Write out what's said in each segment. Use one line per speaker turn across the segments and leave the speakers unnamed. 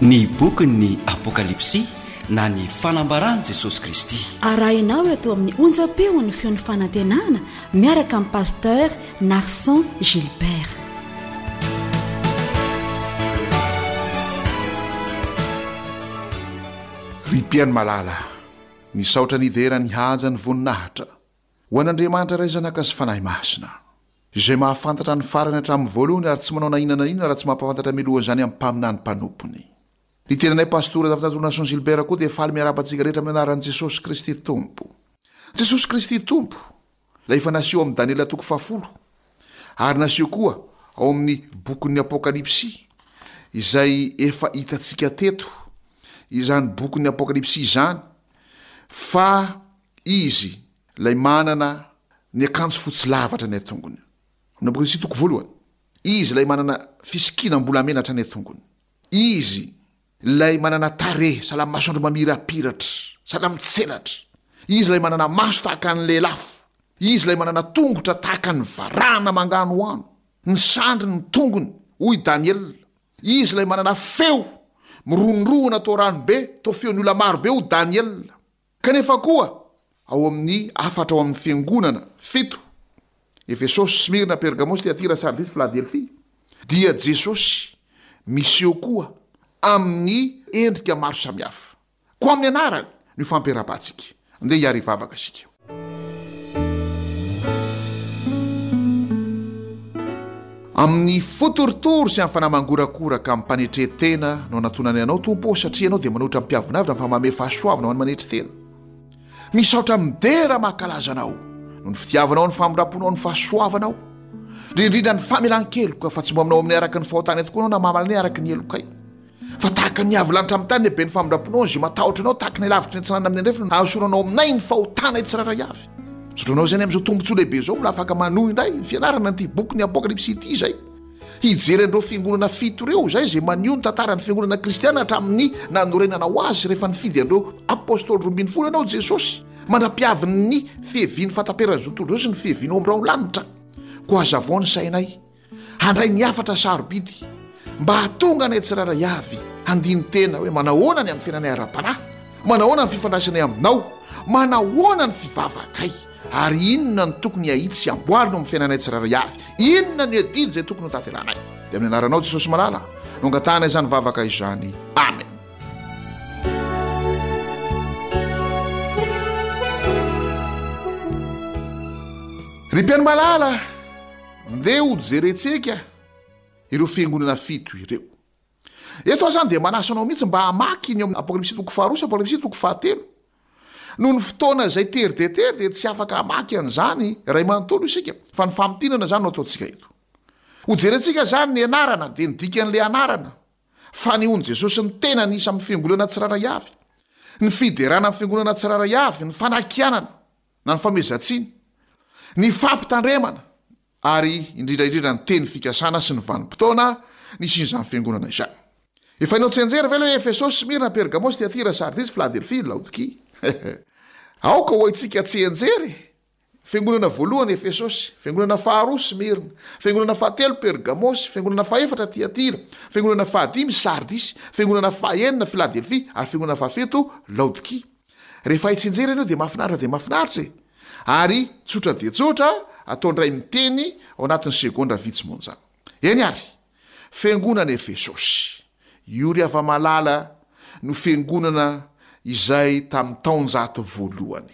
Ny bokin'ny Apokalypsy na ny Fanambaran'i Jesosy Kristy.
Arahinao eto amin'ny onjam-peon'ny Feon'ny Fanantenana miaraka amin'i Pasteur Narson Gilbert.
Ry mpihaino malala, misaotra nidera ny haja ny voninahitra ho an'Andriamanitra Ray Zanaka sy Fanahy Masina, Izay mahafantatra ny farany hatramin'ny voalohany ary tsy manao na inona na inona raha tsy mampahafantatra mialoha izany amin'ny mpaminany mpanompony. Ny tenanay Pastora Zafinjato Nason Gilbert koa dia faly miarahaba antsika rehetra amin'ny anaran'i Jesosy Kristy Tompo. Jesosy Kristy Tompo, ilay efa naseho amin'i Daniela toko fahafolo, ary naseho koa ao amin'ny bokin'ny Apokalypsy, izay efa hitantsika teto izany bokin'ny Apokalypsy izany, fa Izy ilay manana ny akanjo fotsy lava hatrany an-tongony. Amin'ny Apokalypsy toko voalohany, Izy ilay manana fisikinam-bolamena hatrany an-tongony. Izy ilay manana tarehy sahala amin'ny masoandro mamirapiratra, sahala amin'ny tselatra. Izy ilay manana maso tahaka ny lelafo. Izy ilay manana tongotra tahaka ny varahana manganohano, ny sandriny, ny tongony, hoy Daniela. Izy ilay manana feo mirohondrohona toa ranobe, toa feon'ny olona marobe, hoy Daniela. Kanefa koa, ao amin'ny hafatra ao amin'ny fiangonana fito, Efesosy, Smyrna, Pergamosy, Tyatira, Sardisy, Filadelfia, dia Jesosy miseho koa amin'ny endrika maro samihafa. Koa amin'ny anarany no ifampirahabantsika. Andeha hiary hivavaka isika. Amin'ny fo torotoro sy amin'ny fanahy mangorakoraka amim-panetren-tena no anatonanay Anao, Tompo ô, satria Ianao dia manohitra ny mpiavonavona fa manome fahasoavana ho an'ny manetry tena. Misaotra midera mankalaza Anao noho ny fitiavanao, ny famindram-ponao, ny fahasoavanao, indrindra indrindra ny famelan-keloka, fa tsy mba aminao aminay araka ny fahotanay tokoa Ianao na mamaly anay araka ny helokay. Fa tahaka ny avo lanitra amin'ny tany ny haben'ny famindram-ponao, izay matahotra Anao, tahaka ny lavitry ny atsinanana amin'ny andrefana, no hahasoranao aminay ny fahotanay tsirairay avy. Misaotra Anao izany amin'izao tombontsoa lehibe izao, mbola afaka manohy indray ny fianarana an'ity bokin'ny Apokalypsy ity izay. Hijery an'ireo fiangonana fito ireo izay, izay maneho ny tantaran'ny fiangonana kristiana hatramin'ny nanorenanao azy rehefa nifidy an'ireo apostoly 12 Ianao, Jesosy, mandra-piavin'ny fiavian'ny fahataperan'izao tontolo izao sy ny fiavianao amin'ny rahon-lanitra. Koa hazavao ny sainay. Handray ny hafatra sarobidy mba hahatonga anay tsirairay avy handini-tena hoe manahoana ny amin'ny fiainanay ara-panahy, manahoana ny fifandraisanay aminao, manahoana ny fivavakay, ary inona no tokony hahitsy sy hamboarina ao amin'ny fiainanay tsirairay avy, inona ny adidy izay tokony hotanterahanay. Dia amin'ny anaranao Jesosy malala no angatahanay izany vavaka izany. Amen. Ry mpihaino malala, Ndeha ho jerentsika ireo fiangonana fito ireo. Eto aho izany dia manasa anao mihitsy mba hamaky ny ao amin'ny Apokalypsy toko faharoa sy Apokalypsy toko fahatelo. Noho ny fotoana izay tery dia tery dia tsy afaka hamaky an'izany iray manontolo isika, fa ny famintinana izany no ataontsika eto. Ho jerentsika izany ny anarana, dia ny dikan'ilay anarana, fanehoan'i Jesosy ny tenany isan'ny fiangonana tsirairay avy, ny fiderana ny fiangonana tsirairay avy, ny fanakianana, na ny famehezan-tsiny, ny fampitandremana ary indrindra indrindra ny teny fikasana sy ny vanim-potoana nisian'izany fiangonana izany. Efa hainao tsianjery ve ilay hoe Efesosy, Smyrna, Pergamosy, Tyatira, Sardisy, Filadelfia, Laodikia? Aoka ho haintsika tsianjery e! Fiangonana voalohany Efesosy, fiangonana faharoa Smyrna, fiangonana fahatelo Pergamosy, fiangonana fahefatra Tyatira, fiangonana fahadimy Sardisy, fiangonana fahenina Filadelfia ary fiangonana fahafito Laodikia. Rehefa hay tsinjery ianao dia mahafinaritra dia mahafinaritra e! Ary tsotra dia tsotra, atao indray miteny ao anatin'ny segondra vitsy monja. Eny ary! Fiangonana Efesosy. Io ry hava-malala no fiangonana izay tamin'ny taonjato voalohany.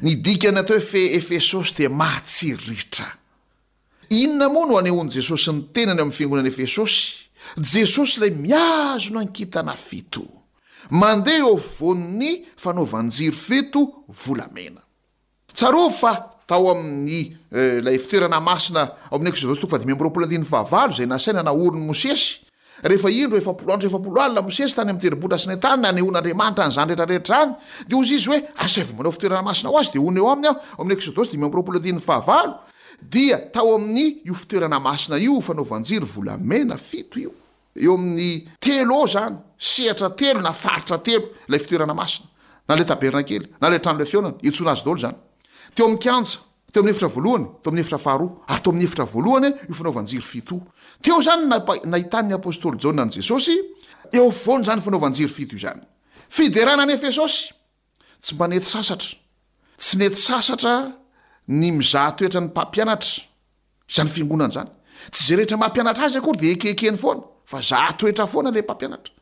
Ny dikan'ny atao hoe fe Efesosy dia mahatsiriritra. Inona moa no anehoan'i Jesosy ny tenany ao amin'ny fiangonana Efesosy? Jesosy ilay mihazona ny kintana fito. Mandeha eo afovoan'ny fanaovan-jiro fito volamena. Tsarovy fa tao amin'ny ilay fitoerana masina ao amin'ny Eksodosy toko fahadimy amby roapolo andininy fahavalo izay nasaina naorin'i Mosesy, rehefa indro 40 andro sy 40 alina Mosesy tany amin'ny tendrombohitra Sinay tany nanehoan'Andriamanitra an'izany rehetra rehetra izany, dia hozy izy hoe, Asaivo manao fitoerana masina ho azy, dia honina eo aminy aho, ao amin'ny Eksodosy 25 andininy fahavalo, dia tao amin'ny io fitoerana masina io fanaovan-jiro volamena fito io. Eo amin'ny telo eo izany, sehatra telo na faritra telo ilay fitoerana masina, na ilay tabernakely, na ilay trano ilay fihaonana, iantsoana azy daholo izany. Teo amin'ny kianja, teo amin'ny efitra voalohany, teo amin'ny efitra faharoa, ary teo amin'ny efitra voalohany io fanaovan-jiro fito io. Teo izany no nahitan'ny apostoly Jaona an'i Jesosy. Eo afovoany izany fanaovan-jiro fito izany. Fiderana an'i Efesosy. Tsy mba nety sasatra. Tsy nety sasatra ny mizaha toetra ny mpampianatra izany fiangonana izany. Tsy izay rehetra mampianatra azy akory dia ekekeny foana fa zaha toetra foana ilay mpampianatra.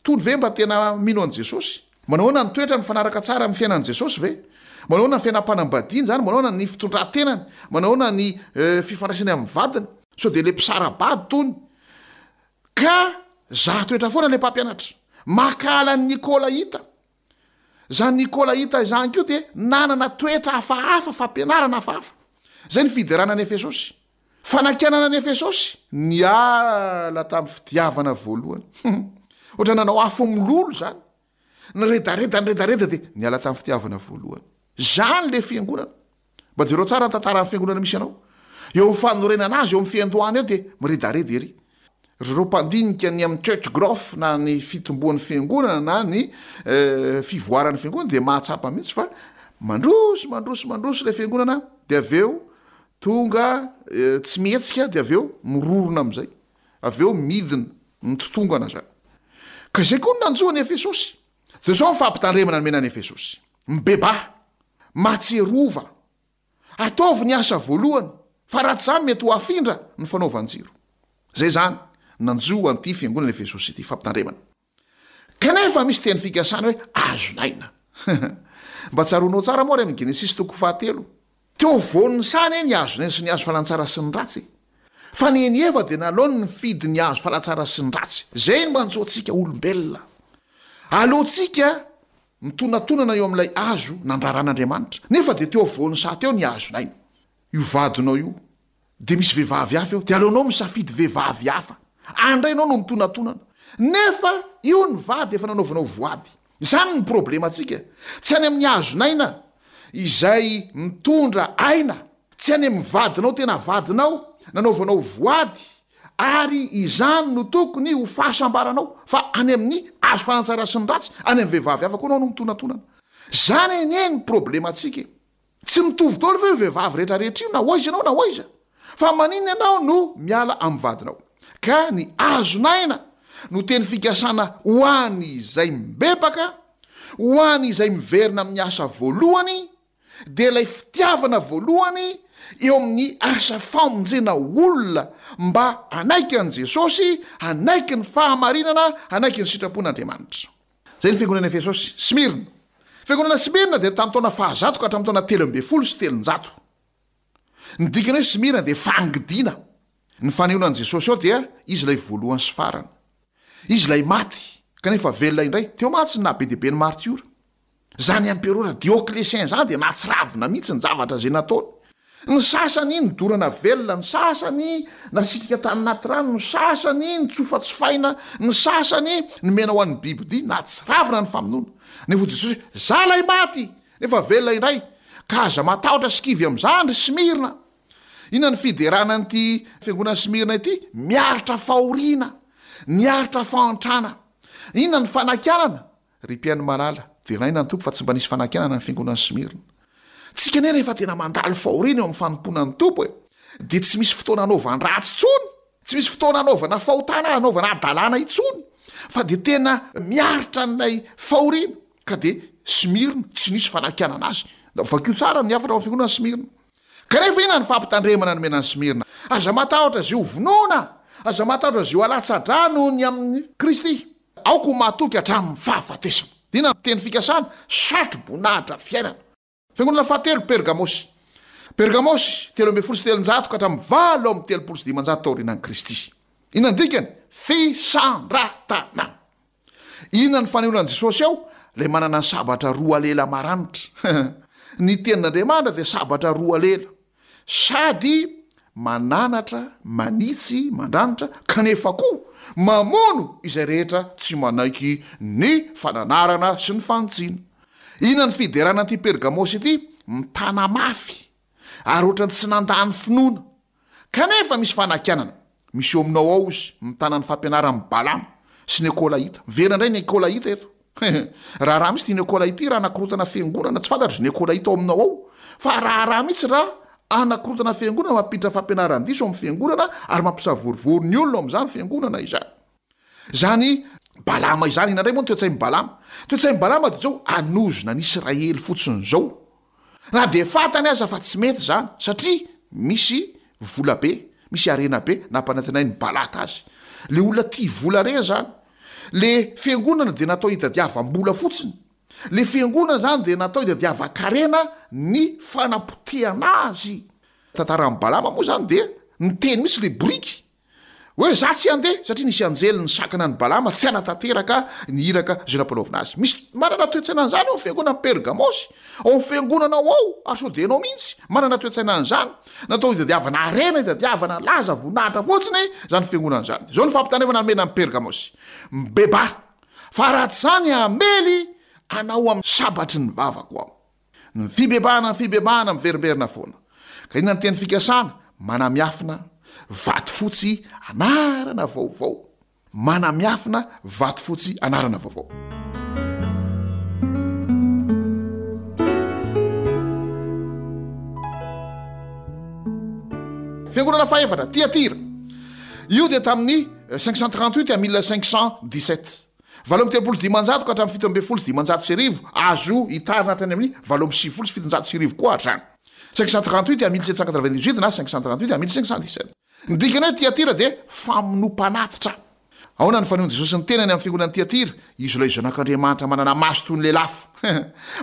Tony ve mba tena mino an'i Jesosy? Manao ahoana ny toetrany mifanaraka tsara amin'ny fiainan'i Jesosy ve? Manao ahoana ny fiainam-panambadiany izany? Manao ahoana ny fitondran-tenany? Manao ahoana ny fifandraisany amin'ny vadiny? Sao dia ilay mpisara-bady tony ka zaha toetra foana ilay mpampianatra. Mankahala an'i Nikolaita. Izany Nikolaita izany koa dia nanana toetra hafahafa, fampianarana hafahafa. Izay ny fiderana an'i Efesosy. Fanakianana an'i Efesosy, niala tamin'ny fitiavana voalohany. Ohatra nanao afo mololo izany. Niredareda, niredareda dia niala tamin'ny fitiavana voalohany. Izany ilay fiangonana. Mba jereo tsara ny tantaran'ny fiangonana misy anao. Eo amin'ny fanorenana azy, eo amin'ny fiandohana eo dia miredareda ery. Ry zareo mpandinika ny amin'ny church growth na ny fitomboan'ny fiangonana na ny fivoaran'ny fiangonana dia mahatsapa mihitsy fa mandroso, mandroso, mandroso ilay fiangonana dia avy eo tonga tsy mihetsika dia avy eo mirorona amin'izay. Avy eo midina, mitotongana izany. Ka izay koa no nanjo an'i Efesosy. Dia izao ny fampitandremana nomena an'i Efesosy, Mibebaha, mahatsiarova, ataovy ny asa voalohany, fa raha tsy izany mety ho afindra ny fanaovan-jiro. Izay izany nanjo an'ity fiangonana Efesosy ity, fampitandremana. Kanefa misy teny fikasana hoe azon'aina. Mba tsaroanao tsara moa ary amin'ny Genesisy toko fahatelo. Teo afovoan'ny saha anie ny hazon'aina sy ny hazo fahalantsara sy ny ratsy e! Fa ny an'i Eva dia naleony nifidy ny hazo fahalantsara sy ny ratsy. Izay no manjo antsika olombelona. Aleontsika mitonatonana eo amin'ilay hazo nandraran'Andriamanitra. Nefa dia teo afovoan'ny saha teo ny hazon'aina. Io vadinao io. Dia misy vehivavy hafa eo, dia aleonao misafidy vehivavy hafa. Any indray ianao no mitonatonana. Nefa io ny vady efa nanaovanao voady. Izany ny problemantsika. Tsy any amin'ny hazon'aina izay mitondra aina, tsy any amin'ny vadinao tena vadinao nanaovanao voady, ary izany no tokony ho fahasambaranao, fa any amin'ny hazo fanantsara sy ny ratsy, any amin'ny vehivavy hafa koa ianao no mitonatonana. Izany anie ny problemantsika e. Tsy mitovy daholo ve io vehivavy rehetra rehetra io na ho aiza ianao na ho aiza? Fa maninona ianao no miala amin'ny vadinao? Ka ny azon'aina no teny fikasana ho an'izay mibebaka, ho an'izay miverina amin'ny asa voalohany, dia ilay fitiavana voalohany eo amin'ny asa famonjena olona mba hanaiky an'i Jesosy, hanaiky ny fahamarinana, hanaiky ny sitrapon'Andriamanitra. Izay ny fiangonana Efesosy. Smyrna. Fiangonana Smyrna dia tamin'ny taona fahazato ka hatramin'ny taona 313. Ny dikany hoe Smyrna dia fangidiana. Ny fanehoana an'i Jesosy ao dia Izy ilay voalohany sy farany. Izy ilay maty kanefa velona indray. Teo mantsy ny naha be dia be ny martiora. Izany emperora Dioclétien izany dia nahatsiravina mihitsy ny zavatra izay nataony. Ny sasany nodorana velona, ny sasany nasitrika tany anaty rano, ny sasany notsofatsofaina, ny sasany nomena ho an'ny bibidia. Nahatsiravina ny famonoana. Nefa hoy Jesosy hoe, Za ilay maty, nefa velona indray, ka aza matahotra sy kivy amin'izany ry Smyrna. Inona ny fiderana an'ity fiangonan'i Smyrna ity? Miaritra fahoriana, niaritra fahantrana. Inona ny fanakianana? Ry mpihaino malala, deraina ny Tompo fa tsy mba nisy fanakianana ny fiangonan'i Smyrna. Tsika anie rehefa tena mandalo fahoriana eo amin'ny fanompoana ny Tompo e, dia tsy misy fotoana anaovan-dratsy intsony, tsy misy fotoana anaovana fahotana, anaovana hadalana intsony, fa dia tena miaritra an'ilay fahoriana, ka dia Smyrna, tsy nisy fanakianana azy. Vakio tsara ny hafatra ao amin'ny fiangonana Smyrna. Kanefa inona ny fampitandremana nomena an'i Smyrna? Aza matahotra izay ho vonoina, aza matahotra izay ho alatsa-drà noho ny amin'i Kristy. Aoka ho mahatoky hatramin'ny fahafatesana. Inona ny teny fikasana? Satro-boninahitra fiainana. Fiangonana fahatelo, Pergamosy. Pergamosy, 313 ka hatramin'ny 538 taorianan'i Kristy. Inona ny dikany? Fisandratana. Inona ny fanehoana an'i Jesosy ao? Ilay manana ny sabatra roa lela maranitra. Ny tenin'Andriamanitra dia sabatra roa lela. Sady mananatra, manitsy, mandranitra, kanefa koa mamono izay rehetra tsy manaiky ny fananarana sy ny fanitsiana. Inona ny fiderana an'ity Pergamosy ity? Mitana mafy, ary ohatran'ny tsy nandà ny finoana. Kanefa misy fanakianana. Misy eo aminao ao izy, mitana ny fampianaran'i Balama sy ny Ekolaita. Miverina indray ny Ekolaita eto. Raharaha mihitsy ity Nekolaita ity raha anakorontana fiangonana, tsy fantatro izay Nekolaita ao aminao ao, fa raharaha mihitsy raha anakorontana fiangonana, mampiditra fampianaran-diso ao amin'ny fiangonana ary mampisavorovoro ny olona ao amin'izany fiangonana izany. Izany. Balama izany. Inona indray moa ny toe-tsain'i Balama? Toe-tsain'i Balama dia izao, hanozona an'i Israely fotsiny izao. Na dia fantany aza fa tsy mety izany, satria misy vola be, misy harena be nampanantenain'i Balaka azy. Ilay olona tia vola ireny izany. Ilay fiangonana dia natao hitadiavam-bola fotsiny. Ilay fiangonana izany dia natao hitadiavan-karena ny fanapotehana azy. Tantaran'i Balama moa izany dia niteny mihitsy ilay boriky hoe za tsy handeha satria nisy anjely nisakana an'i Balama tsy hanatanteraka ny iraka izay nampanaovina azy. Misy manana toe-tsaina an'izany ao amin'ny fiangonan'i Pergamosy, ao amin'ny fiangonanao ao, ary sao dia ianao mihitsy manana toe-tsaina an'izany. Natao hitadiavana harena, hitadiavana laza, voninahitra fotsiny izany fiangonana izany. Izao no fampitandremana nomena an'i Pergamosy, Mibebaha, fa raha tsy izany hamely anao amin'ny sabatry ny vavako aho. Ny fibebahana, ny fibebahana miverimberina foana. Ka inona ny teny fikasana? Manamiafina vato fotsy anarana vaovao. Manamiafina vato fotsy anarana vaovao. Fiangonana fahefatra, Tiatira. Io dia tamin'ny 538 à 1517. 538 ka hatramin'ny 1517, azo hitarina hatrany amin'ny 1798 koa hatrany. 538 à 1798 na 538 à 1517. Ny dikany hoe Tiatira dia famonoam-panatitra. Ahoana ny fanehoan'i Jesosy ny tenany amin'ny fiangonan'i Tiatira? Izy ilay Zanak'Andriamanitra manana maso toy ny lelafo,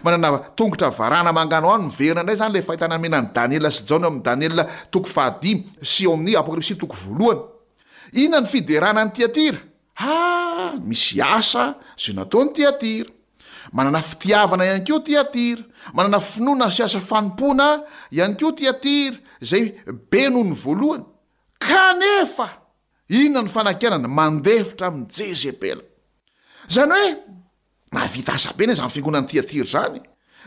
manana tongotra varahana manganohano. Miverina indray izany ilay fahitana nomena an'i Daniela sy Jaona ao amin'ny Daniela toko fahadimy sy ao amin'ny Apokalypsy toko voalohany. Inona ny fiderana an'i Tiatira? Ha! Misy asa izay nataon'i Tiatira. Manana fitiavana ihany koa Tiatira. Manana finoana sy asa fanompoana ihany koa Tiatira, izay be noho ny voalohany. Kanefa, inona no fanakianana? Mandefitra amin'i Jezebela. Izany hoe, Nahavita asa be anie izany fiangonan'i Tiatira izany e!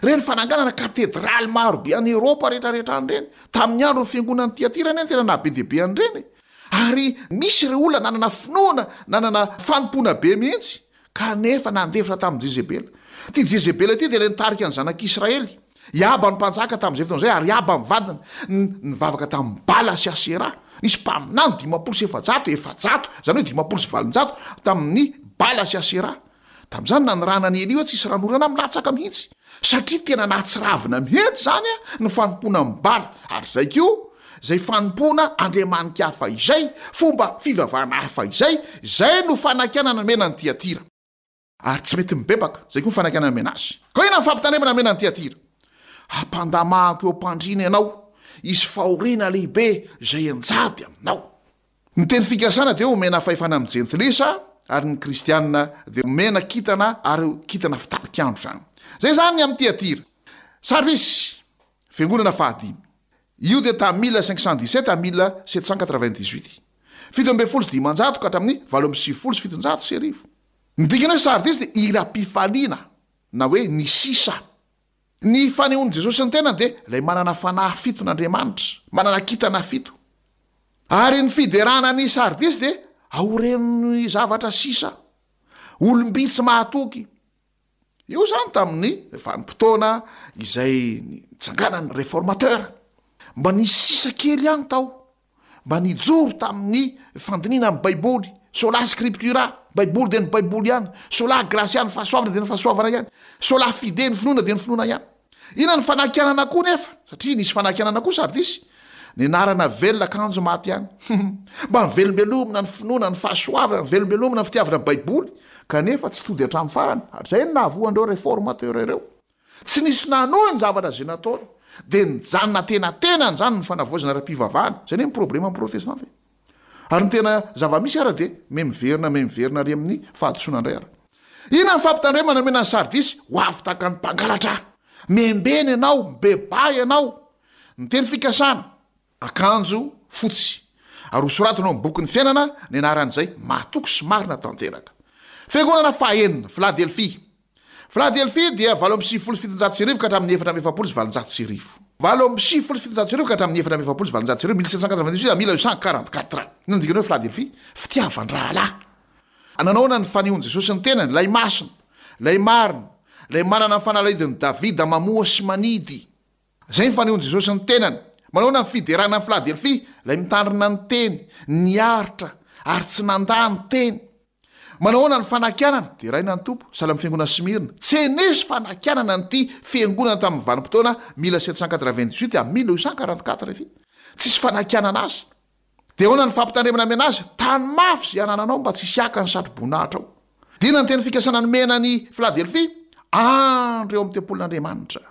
Ireny fananganana katedraly maro be any Eoropa rehetrarehetra any ireny, tamin'ny andron'ny fiangonan'i Tiatira anie no tena naha be dia be an'ireny e! Ary misy ireo olona nanana finoana, nanana fanompoana be mihitsy, kanefa nandefitra tamin'i Jezebela. Ity Jezebela ity dia ilay nitarika ny zanak'Israely. I Ahaba no mpanjaka tamin'izay fotoana izay, ary Ahaba ny vadiny. Nivavaka tamin'i Bala sy Aseraha. Nisy mpaminany 450, 400, izany hoe 850, tamin'i Bala sy Aseraha. Tamin'izany nanirahana an'i Elia hoe tsisy ranonorana milatsaka mihitsy, satria tena nahatsiravina mihitsy izany ny fanompoana an'i Bala, ary izay koa, izay fanompoana andriamani-kafa izay, fomba fivavahana hafa izay, izay no fanakianana nomena an'i Tyatira. Ary tsy mety mibebaka, izay koa ny fanakianana nomena azy. Koa inona ny fampitandremana nomena an'i Tyatira? Hampandamahako eo am-pandriana ianao, hisy fahoriana lehibe izay hianjady aminao. Ny teny fikasana dia omena fahefana amin'ny jentilisa ary ny kristiana dia omena kintana ary kintana fitarik'andro izany. Izay izany ny amin'ny Tyatira. Sardisy, fiangonana fahadimy. Io dia tamin'ny 1517 à 1798. 517 ka hatramin'ny 1798. Ny dikany hoe Sardisy dia hiram-pifaliana na hoe ny sisa. Ny fanehoan'i Jesosy ny tenany dia ilay manana fanahy fiton'Andriamanitra, manana kintana fito. Ary ny fiderana an'i Sardisy dia aorian'ny zavatra sisa, olom-bitsy mahatoky. Io izany tamin'ny vanim-potoana izay nitsanganan'ny Réformateur. Mba nisy sisa kely ihany tao. mba nijoro tamin'ny fandinihana ny Baiboly, sola scriptura, Baiboly dia ny Baiboly ihany, sola gratia, ny fahasoavana dia ny fahasoavana ihany, sola fide, ny finoana dia ny finoana ihany. Inona ny fanakianana koa nefa? Satria nisy fanakianana koa Sardisy. Ny anarana velona kanjo maty ihany. Mba nivelombelomina ny finoana, ny fahasoavana, nivelombelomina ny fitiavana ny Baiboly, kanefa tsy tody hatramin'ny farany. Ary izay no nahavoa an'ireo reformateurs ireo. Tsy nisy nanohy ny zavatra izay nataony, dia nijanona antenatenany izany ny fanavaozana ara-pivavahana. Izay anie ny probleman'ny protestanta e! Ary ny tena zava-misy ara dia me miverina me miverina ary amin'ny fahadisoana indray ara. Inona ny fampitandremana nomena an'i Sardisy? Ho avy tahaka ny mpangalatra! Miambena ianao, mibebaha ianao! Ny teny fikasana, akanjo fotsy, ary hosoratana ao amin'ny bokin'ny fiainana ny anaran'izay mahatoky sy marina tanteraka. Fiangonana fahaenina, Filadelfia. Filadelfia dia 1798 ka hatramin'ny 1844. 1798 ka hatramin'ny 1844, 1798 à 1844. Inona no dikany hoe Filadelfia? Fitiavan-drahalahy. Nanaona ny fanehoan'i Jesosy ny tenany, ilay masina, ilay marina, ilay manana ny fanalahidin'i Davida mamoha sy manidy. Izay ny fanehoan'i Jesosy ny tenany. Manahoana ny fiderana an'i Filadelfia, ilay mitandrina ny teny, niaritra, ary tsy nandà ny teny. Manao ahoana ny fanakianana? Deraina ny Tompo, sahala amin'ny fiangonana Smyrna. Tsy nisy fanakianana an'ity fiangonana tamin'ny vanim-potoana 1798 à 1844 ity. Tsisy fanakianana azy. Dia ahoana ny fampitandremana amena azy? Tano mafy izay anananao mba tsy hisy haka ny satroboninahitra ao. Dia inona ny teny fikasana nomena an'i Filadelfia? Andro eo amin'ny tempolin'Andriamanitra.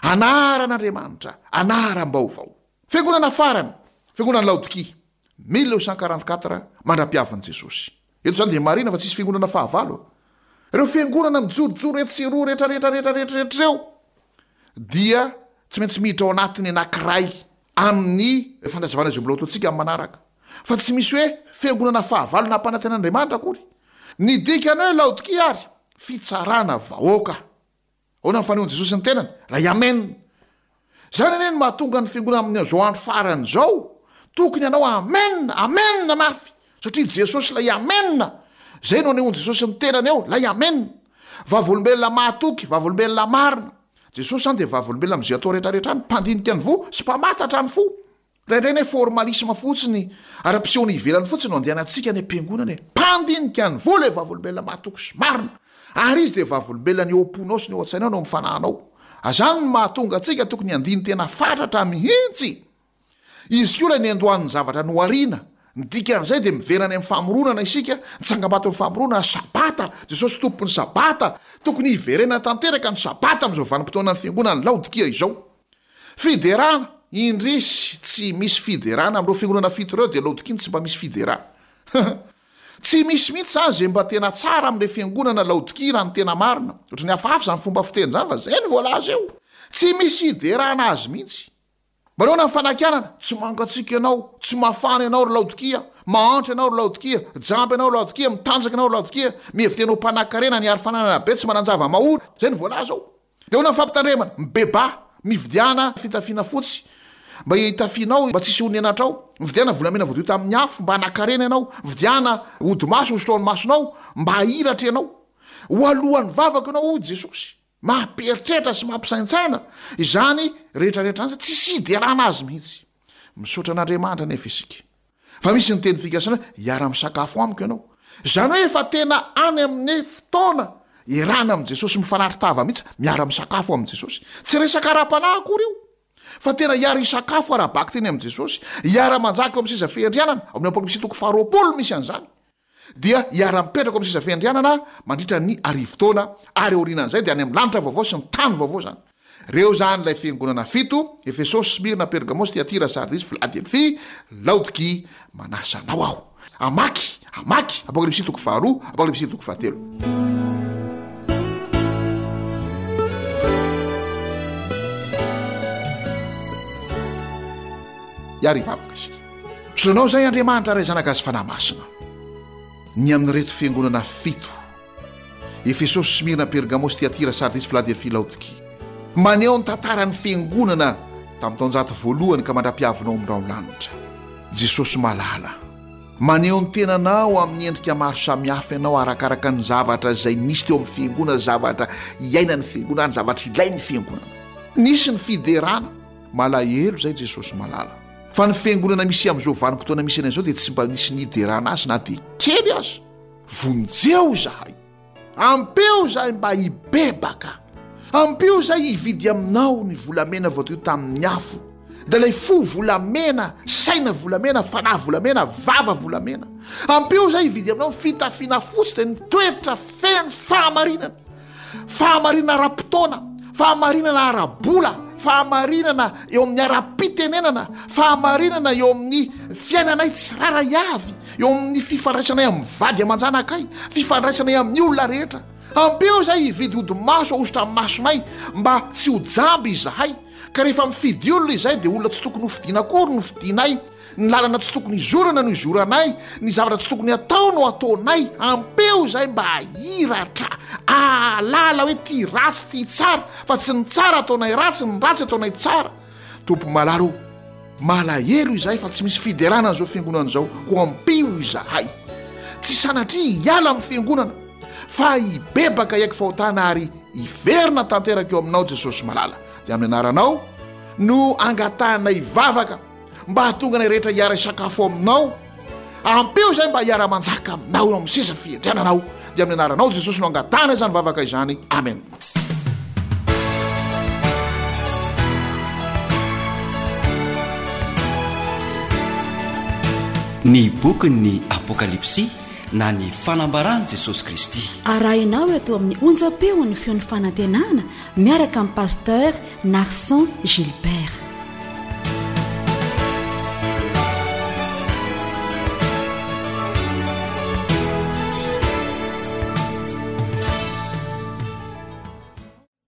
Anaran'Andriamanitra. Anaram-baovao. Fiangonana farany, Fiangonan'i Laodikia, 1244 mandra-piavin'i Jesosy. Eto izany dia marihina fa tsisy fiangonana fahavalo. Ireo fiangonana mijorojoro etsy sy eroa rehetra rehetra rehetra rehetra rehetra ireo dia tsy maintsy miditra ao anatin'ny anankiray amin'ny fanazavana izay mbola ho ataontsika amin'ny manaraka. Fa tsy misy hoe fiangonana fahavalo nampanantenan'Andriamanitra akory. Ny dikany hoe Laodikia ary fitsarana vahoaka. Ahoana ny fanehoan'i Jesosy ny tenany? Ilay Amen. Izany anie no mahatonga ny fiangonana amin'izao andro farany izao tokony hanao Amen, Amen mafy, satria Jesosy ilay Amen. Izay no anehoan'i Jesosy ny tenany eo, ilay Amen. Vavolombelona mahatoky, vavolombelona marina. Jesosy izany dia vavolombelona amin'izay atao rehetrarehetra any, mpandinika ny voa sy mpamantatra ny fo. Indraindray anie formalisme fotsiny, ara-pisehoana ivelany fotsiny no andehanantsika any am-piangonana e! Mpandinika ny vola e vavolombelona mahatoky sy marina, ary izy dia vavolombelona ny eo am-ponao sy ny eo an-tsainao ny eo amin'ny fanahinao. Azany no mahatonga antsika tokony handini-tena fatratra mihitsy! Izy koa ilay niandohan'ny zavatra nohariana, ny dikan'izay dia miverina any amin'ny famoronana isika, ny tsangambaton'ny famoronana, Sabata, Jesosy Tompon'ny Sabata, tokony hiverenana tanteraka ny Sabata amin'izao vanim-potoanan'ny fiangonan'i Laodikia izao. Fiderana, indrisy tsy misy fiderana amin'ireo fiangonana fito ireo dia Laodikia no tsy mba misy fiderana. Tsy misy mihitsy izany izay mba tena tsara amin'ilay fiangonana Laodikia raha ny tena marina. Ohatran'ny hafahafa izany fomba fiteny izany fa izay no voalaza eo. Tsy misy hiderana azy mihitsy. Manaona ny fanakianana? Tsy mangatsiaka ianao, tsy mafana ianao ry Laodikia, mahantra ianao ry Laodikia, jamba ianao ry Laodikia, mitanjaka ianao ry Laodikia, mihevi-tena ho mpanankarena, niary fananana be, tsy manan-java-mahory. Izay no voalaza ao. Dia ahoana ny fampitandremana? Mibebaha, mividiana fitafiana fotsy mba hitafianao mba tsy hisehoan'ny henatrao, mividiana volamena voadio tamin'ny afo mba hanan-karena ianao, mividiana hodi-maso hosotra ao amin'ny masonao mba hahiratra ianao. Ho alohan'ny vavaka ianao hoy Jesosy. Mampieritreritra sy mampisaintsaina izany rehetrarehetra izany, tsisy hiderana azy mihitsy. Misaotra an'Andriamanitra anefa isika. Fa misy ny teny fikasana hoe hiara-misakafo amiko ianao. Izany hoe efa tena any amin'ny fotoana iarahana amin'i Jesosy mifanatri-tava mihitsy, miara-misakafo amin'i Jesosy. Tsy resaka ara-panahy akory io, fa tena hiara-hisakafo ara-bakiteny amin'i Jesosy, hiara-manjaka eo amin'ny seza fiandrianana, ao amin'ny Apokalypsy toko faharoapolo misy an'izany. Dia hiara-mipetraka ao amin'ny seza fiandrianana mandritra ny arivotaona, ary aorianan'izay dia any amin'ny lanitra vaovao sy ny tany vaovao izany. Ireo izany ilay fiangonana fito, Efesosy, Smyrna, Pergamosy, Tyatira, Sardisy, Filadelfia, Laodikia. Manasa anao aho hamaky, hamaky, Apokalypsy toko faharoa, Apokalypsy toko fahatelo. Hiary hivavaka isika. Misaotra Anao izay Andriamanitra Ray Zanaka sy Fanahy Masina. Ny amin'ireto fiangonana fito, Efesosy, Smyrna, Pergamosy, Tyatira, Sardisy, Filadelfia, Laodikia. Maneho ny tantaran'ny fiangonana tamin'ny taonjato voalohany ka mandra-piavinao amin'ny rahon-lanitra. Jesosy malala, maneho ny tenanao amin'ny endrika maro samihafa ianao arakaraka ny zavatra izay nisy teo amin'ny fiangonana, zavatra iainan'ny fiangonana, ny zavatra ilain'ny fiangonana. Nisy ny fiderana, malahelo izay Jesosy malala. Fa ny fiangonana misy amin'izao vanim-potoana misy anay izao dia tsy mba nisy niderana azy na dia kely aza. Vonjeo izahay. Ampio izahay mba hibebaka. Ampio izahay hividy aminao ny volamena voadio tamin'ny afo, dia ilay fo volamena, saina volamena, fanahy volamena, vava volamena. Ampio izahay hividy aminao ny fitafiana fotsy, dia ny toetra feno fahamarinana. Fahamarinana ara-potoana, fahamarinana ara-bola, fahamarinana eo amin'ny ara-pitenenana, fahamarinana eo amin'ny fiainanay tsirairay avy, eo amin'ny fifandraisanay amin'ny vady aman-janakay, fifandraisanay amin'ny olona rehetra. Ampio izahay hividy hodi-maso ahosotra amin'ny masonay mba tsy ho jamba izahay, ka rehefa mifidy olona izahay dia olona tsy tokony hofidiana akory no fidinay. Ny lalana tsy tokony hizorana no hizoranay, ny zavatra tsy tokony hatao no ataonay. Ampeo izahay mba hahiratra, hahalala hoe ty ratsy ty tsara, fa tsy ny tsara ataonay ratsy, ny ratsy ataonay tsara. Tompo malala o, malahelo izahay fa tsy misy fiderana an'izao fiangonana izao, koa ampio izahay. Tsy sanatria hiala amin'ny fiangonana, fa hibebaka hiaiky fahotana ary hiverina tanteraka eo aminao Jesosy malala. Dia amin'ny anaranao no angatahanay vavaka. Mba hahatonga anay rehetra hiara-hisakafo aminao. Ampio izay mba hiara-manjaka aminao eo amin'ny seza fiandriananao. Dia amin'ny anaranao Jesosy no angatahana izany vavaka izany. Amen.
Ny bokin'ny Apokalypsy na ny fanambaran'i Jesosy Kristy.
Arahinao eto amin'ny onjam-peon'ny feon'ny fanantenana miaraka amin'i Pasteur Narson Gilbert.